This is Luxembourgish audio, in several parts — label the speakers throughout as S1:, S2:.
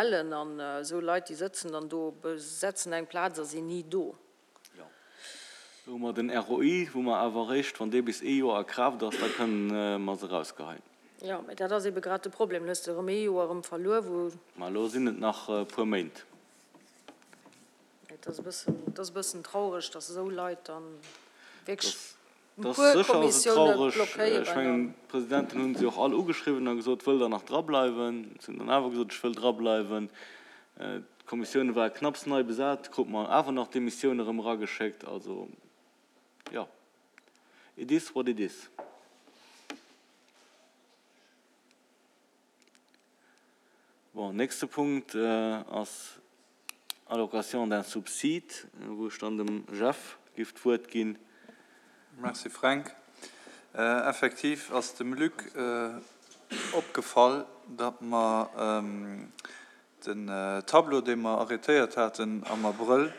S1: Ellen an esou Leit, déi sëtzen dann do, besetzen eng Plaz a sinn ni do.
S2: Jo. Do hu mer den ROI, wou mer awer eréischt, wann dee bis ee Joer a Kraaft ass, da kënnen mer se erausgeheien.
S1: Jo, mä dat ass ebe grad de Problem. Dann hues de erëm ee Joer erëm verluer, wou.
S2: Mä elo sinn et nach e puer Méint.
S1: Et ass e bëssen, et ass e bëssen traureg, dass esou Leit dann wierklech.
S2: Et ass sécher ass et traureg. Ech mengen, d'Presidenten hu se och all ugeschriwwen a gesot, Wëllt Der nach drableiwen? Si hunn dann awer gesot, Ech wëll drableiwen. D'Kommissioune ware knapps nei besat, krute mer awer nach d'Demissioun erëm erageschéckt. Also, jo, it is what it is. Bon, nächste Punkt ass Allocation d'un subside, wou ech dann dem Jeff giff d'Wuert ginn.
S3: Merci Fränk. Effektiv ass dem Luc opgefall, datt mer den Tableau, dee mer arrêtéiert haten am Abrëll,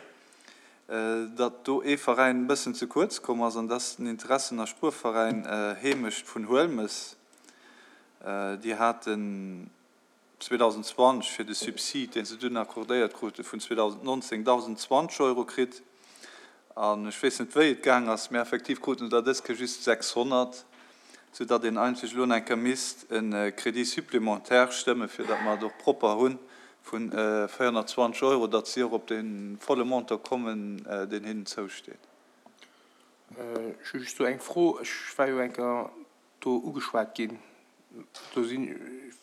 S3: datt do ee Veräin e bëssen ze kuerz komm ass, an dat ass den Interessen a Spuerveräin Heemecht vun Huelmes. Déi haten 2020 fir de Subsid, dee se dunn accordéiert krute vun 2019, 1.020 Euro kritt. An ech weess net, wéi et gaang ass, mä effektiv kruten se der dës Kéier just 600, soudatt een eigentlech elo nach eng Kéier misst e Crédit supplémentaire stëmmen, fir datt mer et och propper hu vu 420 Euro, datt si och op dee volle Montant kommen, deen hinnen zousteet.
S4: Ech hu just do eng Fro. Ech war jo eng Kéier do ugeschwat ginn. Do sinn,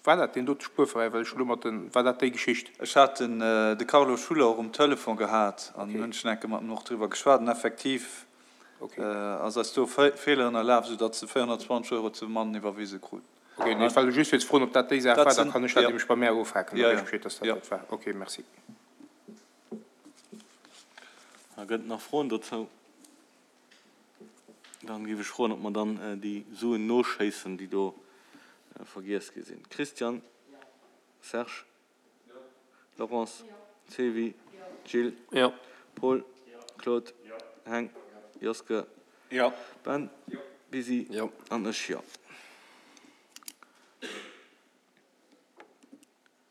S4: war dat deen dote Spuerveräin, well ech elo mat den, war dat déi Geschicht?
S3: Ech hat den de Carlo Schuller och um Telefon gehat an hunn schon eng Kéier mat em och driwwer geschwat an effektiv ass eis do e Feeler ënnerlaf, sou datt se 420 Euro ze mann iwwerwise kruten.
S4: Ok, nee, ech war elo just fir ze froen, ob dat déi Saach war, da kann ech dat nämlech bei mär ofhaken, da weess ech Bescheed, datt dat dat war. Ok, merci.
S2: Da gëtt et nach Froen dozou? Dann géif ech froen, ob mer dann déi Suen noschéissen, déi do vergiess gi sinn. Christian, Serge, Laurence, Sylvie, Gilles, Paul, Claude, Heng, Joske, Ben, Bisi an ech, jo.